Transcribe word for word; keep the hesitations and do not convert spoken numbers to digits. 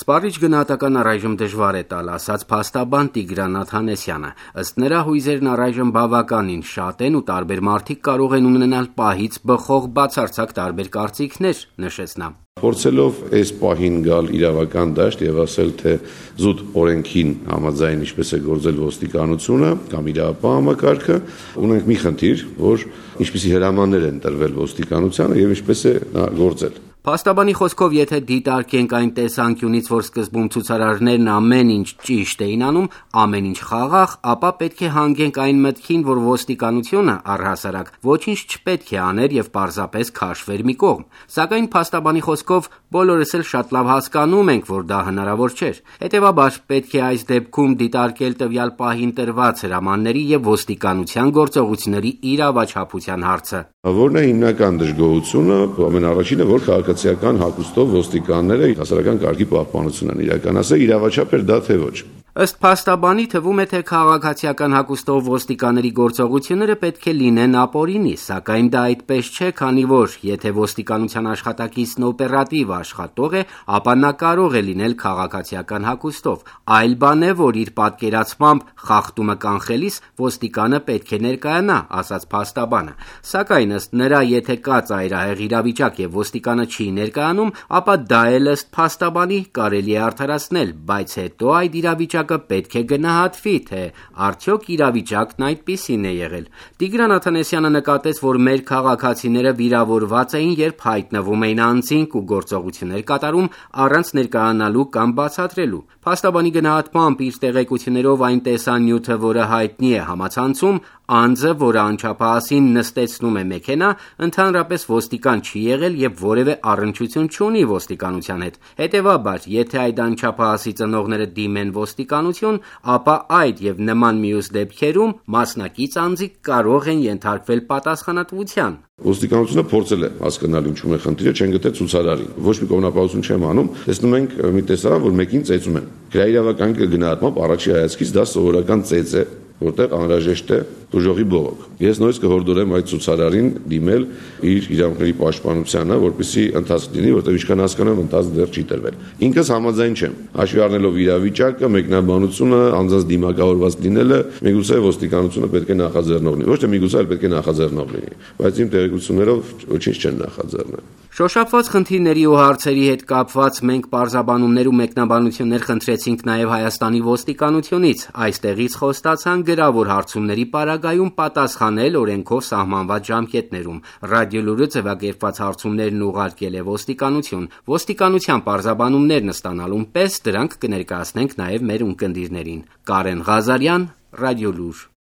Սպառիչ գնահատական առայժմ դժվար է տալ, ասաց փաստաբան Տիգրան Աթանեսյանը։ Ըստ նրա, հույզերն առայժմ բավականին շատ են ու տարբեր մարդիկ կարող են ունենալ պահից բխող բացարձակ տարբեր կարծիքներ, նշեց նա։ Փորձելով այս պահին գալ իրավական դաշտ եւ ասել, թե զուտ օրենքին համաձայն ինչպես է գործել ոստիկանությունը կամ իրավապահ համակարգը, ունենք մի խնդիր, որ ինչպիսի հրամաններ են տրվել ոստիկանությանը եւ ինչպես է նա գործել։ Փաստաբանի խոսքով, եթե դիտարկենք այն տեսանկյունից, որ սկզբում ցուցարարներն ամեն ինչ ճիշտ էին անում, ամեն ինչ խաղաղ, ապա պետք է հանգենք այն մտքին, որ ոստիկանությունը առհասարակ ոչինչ չպետք է աներ եւ պարզապես քաշվեր մի կողմ։ Սակայն փաստաբանի խոսքով բոլորս էլ շատ լավ հասկանում ենք, որ դա հնարավոր չէր։ Հետևաբար պետք է այս դեպքում դիտարկել տվյալ պահին տրված հրամանների եւ ոստիկանության գործողությունների իրավաչափության հարցը։ Որն է հիմնական դժգոհությունը, ամենառաջինը, որ քաղաքացիական հագուստով ոստիկանները հասարակական կարգի պահպանություն են իրականացրել, իրավաչափ էր դա թե ոչ։ Ըստ փաստաբանի թվում է, թե քաղաքացիական հագուստով ոստիկանների գործողությունները պետք է լինեն ապօրինի, սակայն դա այդպես չէ, քանի որ եթե ոստիկանության աշխատակիցն օպերատիվ աշխատող է, ապա նա կարող է լինել քաղաքացիական հագուստով։ Այլ բան է, որ իր պատկերացմամբ խախտումը կանխելիս ոստիկանը պետք է ներկայանա, ասաց փաստաբանը։ Սակայն ըստ նրա, եթե կա ծայրահեղ իրավիճակ եւ ոստիկանը չի ներկայանում, ապա դա էլ ըստ փաստաբանի կարելի է արդարացնել, բայց հետո այդ իրավիճակը պետք է գնահատվի, թե արդյոք իրավիճակն այդպիսին է եղել։ Տիգրան Աթանեսյանը նկատեց, որ մեր քաղաքացիները վիրավորված էին, երբ հայտնվում էին անձինք ու գործողություններ կատարում առանց ներկայանալու կամ բացատրելու։ Փաստաբանի գնահատմամբ իր տեղեկություններով այն տեսանյութը, որը հայտնի է համացանցում, անձը, որը անչափահասին նստեցնում է մեքենա, ընդհանրապես ոստիկան չի եղել եւ որևէ առնչություն չունի ոստիկանության հետ։ Հետևաբար, եթե այդ անչափահասի ծնողները դիմեն ոստիկանություն, ապա այդ եւ նման մյուս դեպքերում մասնակից անձիկ կարող են ենթարկվել պատասխանատվության։ Ոստիկանությունը փորձել է հասկանալ ինչու է խնդիրը, չեն գտել ցուցարարին։ Ոչ մի կողմնապահություն չեմ անում, տեսնում ենք մի տեսարան, որ մեկին ծեծում են։ Գրայրավական գնահատմամբ առաջի հայացքից դա սովորական ծեծ է, որտեղ անհրաժեշտ է դժողի բողոք։ Ես նույնիսկ կհորդորեմ այդ ցուցարարին դիմել իր իրավունքների պաշտպանությանը, որպեսզի ընթացք լինի, որտեղ ինչքան հասկանում եմ, ընթացք դեռ չի տրվել։ Ինքս համաձայն չեմ։ Հաշվի առնելով իրավիճակը, մեկնաբանությունը, անձանց դիմակավորված լինելը, միգուցե ոստիկանությունը պետք է նախաձեռնող լինի։ Ոչ թե միգուցե, այլ պետք է նախաձեռնող լինի, բայց իմ տեղեկություններով ոչինչ չեն նախաձեռնել։ Շոշափված խնդիրների ու հարցերի հետ կապված մենք պարզաբանումներ ու մեկնաբանություններ խնդրեցինք նաև Հայաստանի ոստիկանությունից։ Այստեղից խոստացան գրավոր հարցումների պարագայում պատասխանել օրենքով սահմանված ժամկետներում։ Ռադիոլուրը ձևակերպված հարցումներն ուղարկել է ոստիկանություն։ Ոստիկանության պարզաբանումներն ստանալուն պես դրանք կներկայացնենք նաև մեր ունկնդիրներին։ Կարեն Ղազարյան, Ռադիոլուր։